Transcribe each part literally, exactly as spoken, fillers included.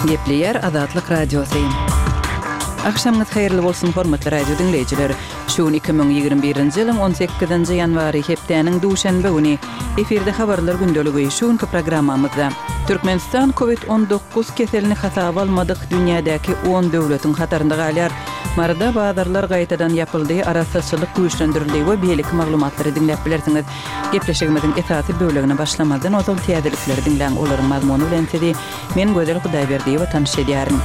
Gepleýär Azatlyk Radiosy. Agşamyňyz haýyrly bolsun, hormatly radio diňleýjiler. Şu gün iki müň ýigrimi birinji ýylyň on sekizinji ýanwary, hepdäniň duşenbe güni. Efirde habarlar gündeligi. Şu günki programmamyzda Türkmenistan Covid on dokuz keselini hasaba almadyk dünýädäki on döwletiň hatarynda galýar. Maryda bazarlar gaýtadan ýapyldy, arassaçylyk güýçlendirildi we beýleki maglumatlary diňläp bilersiňiz. Gepleşigimiziň esasy bölegine başlamazdan ozal täzelikleri diňläň, olaryň mazmuny bilen sizi men Gözel Hudaýberdiýewa tanyş edýärin.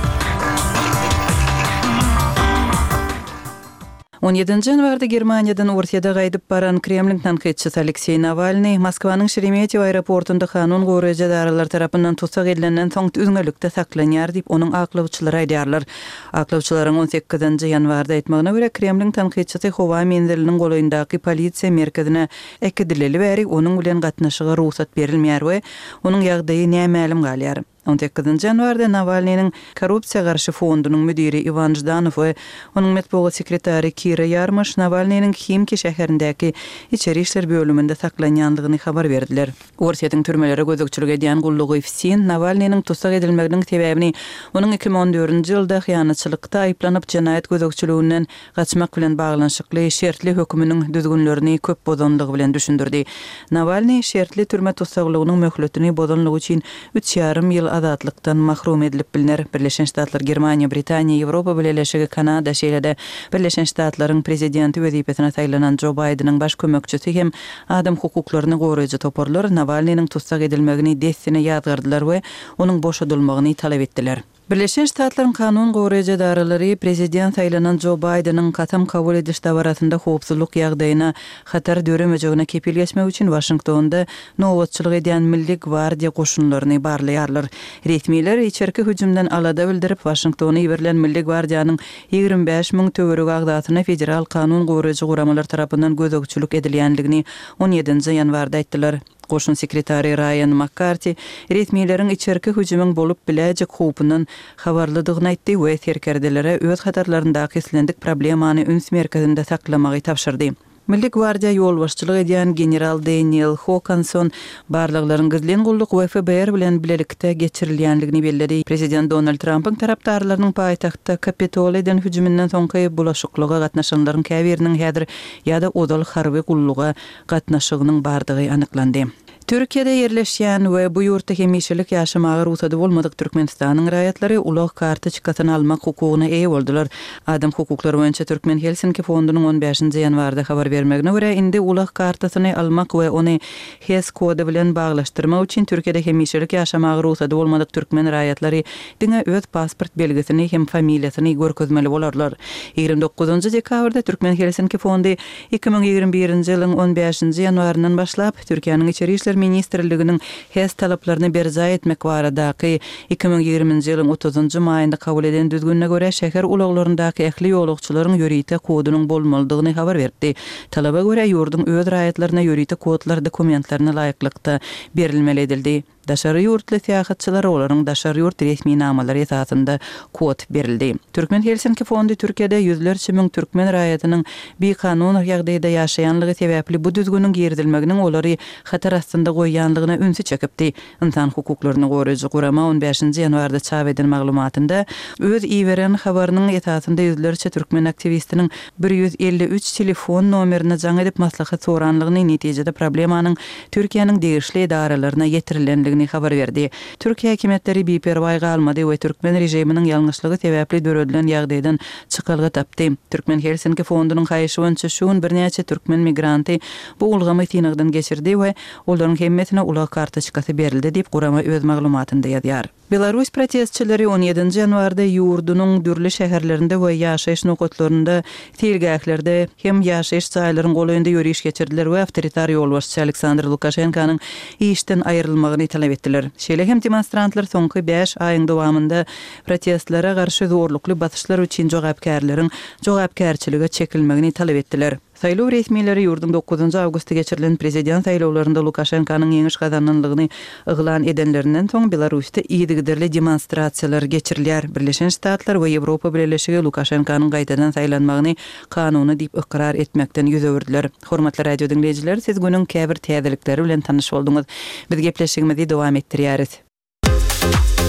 On ýedinji ýanwarda Germaniýadan Orsýete gaýdyp baran Kremliň tankytçysy Alekseý Nawalnyý Moskwanyň Şeremetýewo aeroportunda kanun goraýjy edaralar tarapyndan tussag edilenden soň üzňelikde saklanýar diýip, onuň aklawçylary aýdýarlar. Aklawçylaryň on sekizinji ýanwarda aýtmagyna görä, Kremliň tankytçysy howa menziliniň golaýyndaky polisiýa merkezine äkidileli bäri onuň bilen gatnaşyga rugsat berilmeýär we onuň ýagdaýy nämälim galýar. On sekizinji ýanwarda Nawalnynyň korrupsiýa garşy fondunyň müdiri Iwan Ždanow we onuň metbugat sekretary Kira Ýarmoş Nawalnynyň Himki şäherindäki içeri işler bölüminde saklanýandygyny habar berdiler. Orsýetiň türmelere gözegçilik edýän gullugy FSIN Nawalnynyň tussag edilmeginiň sebäbini onuň iki müň on dördünji ýylda hyýanatçylykda aýyplanyp jenaýat gözegçiliginden gaçmak bilen baglanyşykly şertli höküminiň düzgünlerini köp bozanlygy bilen düşündirdi. Nawalnyý şertli türme tussaglygynyň möhletini bozanlygy üçin üç ýarym ýyl azatlykdan mahrum edilip bilner. Birleşen Ştatlar, Germaniýa, Britaniýa, Ýewropa Bileleşigi, Kanada, şeýle-de Birleşen Ştatlaryň prezidenti wezipesine saýlanan Jo Baýdeniň baş kömekçisi hem adam hukuklaryny goraýjy toparlar Nawalnynyň tussag edilmegini dessine ýazgardylar we onuň boşadylmagyny talap etdiler. Birleşen Ştatlaryň kanun goraýjy edaralary prezident saýlanan Jo Baýdeniň kasam kabul ediş dabarasynda howpsuzlyk ýagdaýyna hatar döremejegine kepil geçmek üçin Waşingtonda nobatçylyk edýän Milli gwardiýa goşunlaryny barlaýarlar. Resmiler içerki hüjümden alada bildirip, Waşingtona iberilen Milli gwardiýanyň ýigrimi bäş müň töweregi agzasyna federal kanun goraýjy guramalar tarapyndan gözegçilik edilýändigini on ýedinji ýanwarda aýtdylar. Goşun sekretary Raýan Makkarti resmileriň içerki hüjümiň bolup biläýjek howpundan habarlydygyny aýtdy we serkerdelere öz hatarlaryndaky islendik problemany üns merkezinde saklamagy tabşyrdy. Milli gwardiýa ýolbaşçylyk edýän general Daniel Hokanson barlaglaryň gizlin gulluk we F B R bilen bilelikde geçirilýändigini belledi. Prezident Donald Trumpyň tarapdarlarynyň paýtagtda Kapitol eden hüjüminden soňky bulaşyklyga gatnaşanlaryň käbiriniň häzir ýa-da ozal harby gulluga gatnaşygynyň bardygy anyklandy. Türkiýede ýerleşýän we bu ýurtda hemişelik ýaşamaga rugsady bolmadyk Türkmenistanyň raýatlary ulag kartoçkasyny almak hukugyna eýe boldular. Adam hukuklary boýunça Türkmen Helsinki fondunyň on bäşinji ýanwarda habar bermegine görä, indi ulag kartasyny almak we ony H E S kody bilen baglaşdyrmak üçin Türkiýede hemişelik ýaşamaga rugsady bolmadyk türkmen raýatlary diňe öz pasport belgisini hem familiýasyny görkezmeli bolarlar. Ýigrimi dokuzynjy dekabrda Türkmen Helsinki fondy iki müň ýigrimi birinji ýylyň on bäşinji ýanwaryndan başlap Türkiýäniň içeri işler ministrliginiň H E S talaplaryny berjaý etmek baradaky iki müň ýigriminji ýylyň otuzynjy maýynda kabul eden düzgünine görä şäher ulaglaryndaky ähli ýolagçylaryň ýörite kodunyň bolmalydygyny habar berdi. Talaba görä ýurduň öz raýatlaryna ýörite kodlar dokumentlerine laýyklykda berilmeli edildi. Daşary ýurtly syýahatçylara olaryň daşary ýurt resminamalary esasynda kod berildi. Türkmen Helsinki fondy Türkiýede ýüzlerçe müň türkmen raýatynyň bikanun ýagdaýda ýaşaýanlygy sebäpli bu düzgüniň girizilmeginiň olary hatar astynda goýýanlygyna ünsi çekipdi. Insan hukuklaryny goraýjy gurama on bäşinji ýanwarda çap eden maglumatynda öz iberen habarynyň esasynda ýüzlerçe türkmen aktiwistiniň bir ýüz elli üç telefon nomerine jaň edip maslahat soranlygyny, netijede problemanyň Türkiýäniň degişli edaralaryna ýetirilendigini habar berdi. Türkiýe hökümetleri biperwaý galmady we türkmen režiminiň ýalňyşlygy sebäpli döredilen ýagdaýdan çykalga tapdy. Türkmen Helsinki fondunyň haýyşy boýunça şu gün birnäçe türkmen migranty bu ulgamy synagdan geçirdi we olaryň hemmesine ulag kartoçkasy berildi diýip gurama öz maglumatynda ýazýar. Belarus protestçileri on ýedinji ýanwarda ýurdunyň dürli şäherlerinde we ýaşaýyş nokatlarynda, seýilgählerde hem ýaşaýyş jaýlaryň golaýynda ýöriş geçirdiler we awtoritar ýolbaşçy Aleksandr Lukaşenkanyň işden aýrylmagyny talap etdiler. Şeýle hem demonstrantlar soňky bäş aýyň dowamynda protestlere garşy zorlukly basyşlar üçin jogapkärleriň jogapkärçilige çekilmegini talap etdiler. Saýlaw resmileri ýurduň dokuzynjy awgustda geçirilen prezident saýlawlarynda Lukaşenkanyň ýeňiş gazananlygyny yglan edenlerinden soň Belarusda yzygiderli demonstrasiýalar geçirilýär. Birleşen Ştatlar we Ýewropa Bileleşigi Lukaşenkanyň gaýtadan saýlanmagyny kanuny diýip ykrar etmekden ýüz öwürdiler. Hormatly radio diňleýjiler, siz günüň käbir täzelikleri bilen tanyş bolduňyz. Biz gepleşigimizi dowam etdirýäris.